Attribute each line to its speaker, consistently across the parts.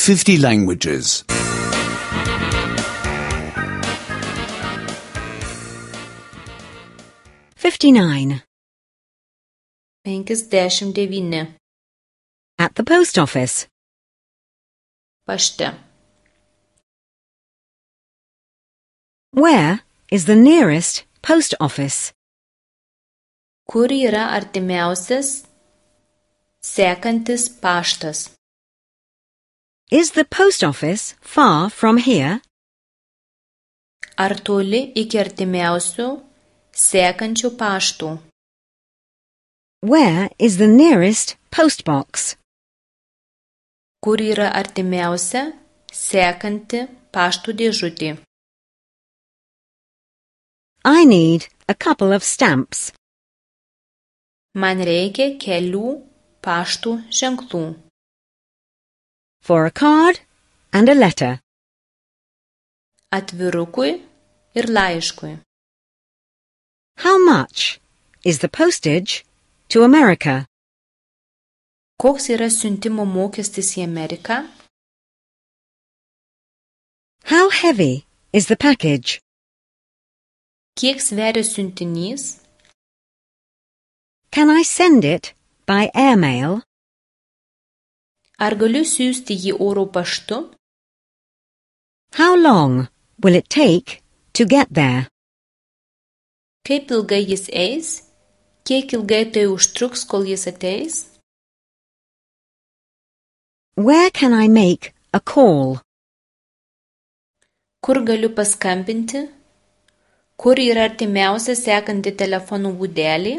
Speaker 1: 50 languages.
Speaker 2: 59.
Speaker 3: 59.
Speaker 2: At the post office.
Speaker 3: Pašte.
Speaker 2: Where is the nearest post office?
Speaker 3: Kur yra artimiausias sekantis paštas?
Speaker 2: Is the post office far from here?
Speaker 3: Ar toli iki artimiausių sekančių paštų?
Speaker 2: Where is the nearest post box?
Speaker 3: Kur yra artimiausia sekanti paštų dėžutė?
Speaker 2: I need a couple of stamps.
Speaker 3: Man reikia kelių paštų ženklų.
Speaker 2: For a card and a letter.
Speaker 3: Atvirukui ir laiškui.
Speaker 2: How much is the postage to America?
Speaker 3: Koks yra siuntimo mokestis į Ameriką?
Speaker 2: How heavy is the package?
Speaker 3: Kiek sveria siuntinys?
Speaker 2: Can I send it by airmail?
Speaker 3: Ar galiu siųsti jį oro paštu?
Speaker 2: How long will it take to get there?
Speaker 3: Kaip ilgai jis eis? Kiek ilgai tai užtruks, kol jis ateis?
Speaker 2: Where can I make a call?
Speaker 3: Kur galiu paskambinti? Kur yra artimiausia sekanti telefonų būdelė?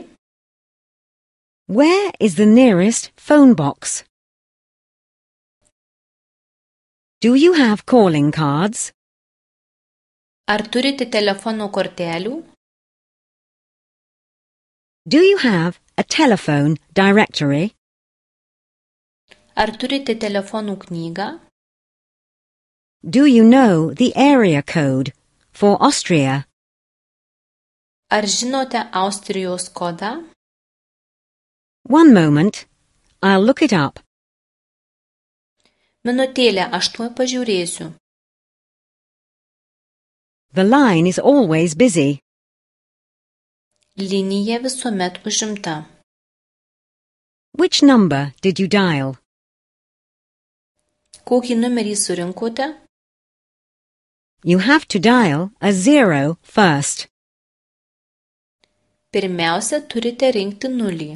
Speaker 2: Where is the nearest phone box? Do you have calling cards?
Speaker 3: Ar turite telefono kortelių?
Speaker 2: Do you have a telephone directory?
Speaker 3: Ar turite telefonų knygą?
Speaker 2: Do you know the area code for Austria?
Speaker 3: Ar žinote Austrijos kodą?
Speaker 2: One moment, I'll look it up.
Speaker 3: Minutėlę, aš tuoj pažiūrėsiu.
Speaker 2: The line is always busy.
Speaker 3: Linija visuomet užimta.
Speaker 2: Which number did you dial?
Speaker 3: Kokį numerį surinkote?
Speaker 2: You have to dial a 0 first.
Speaker 3: Pirmiausia, turite rinkti nulį.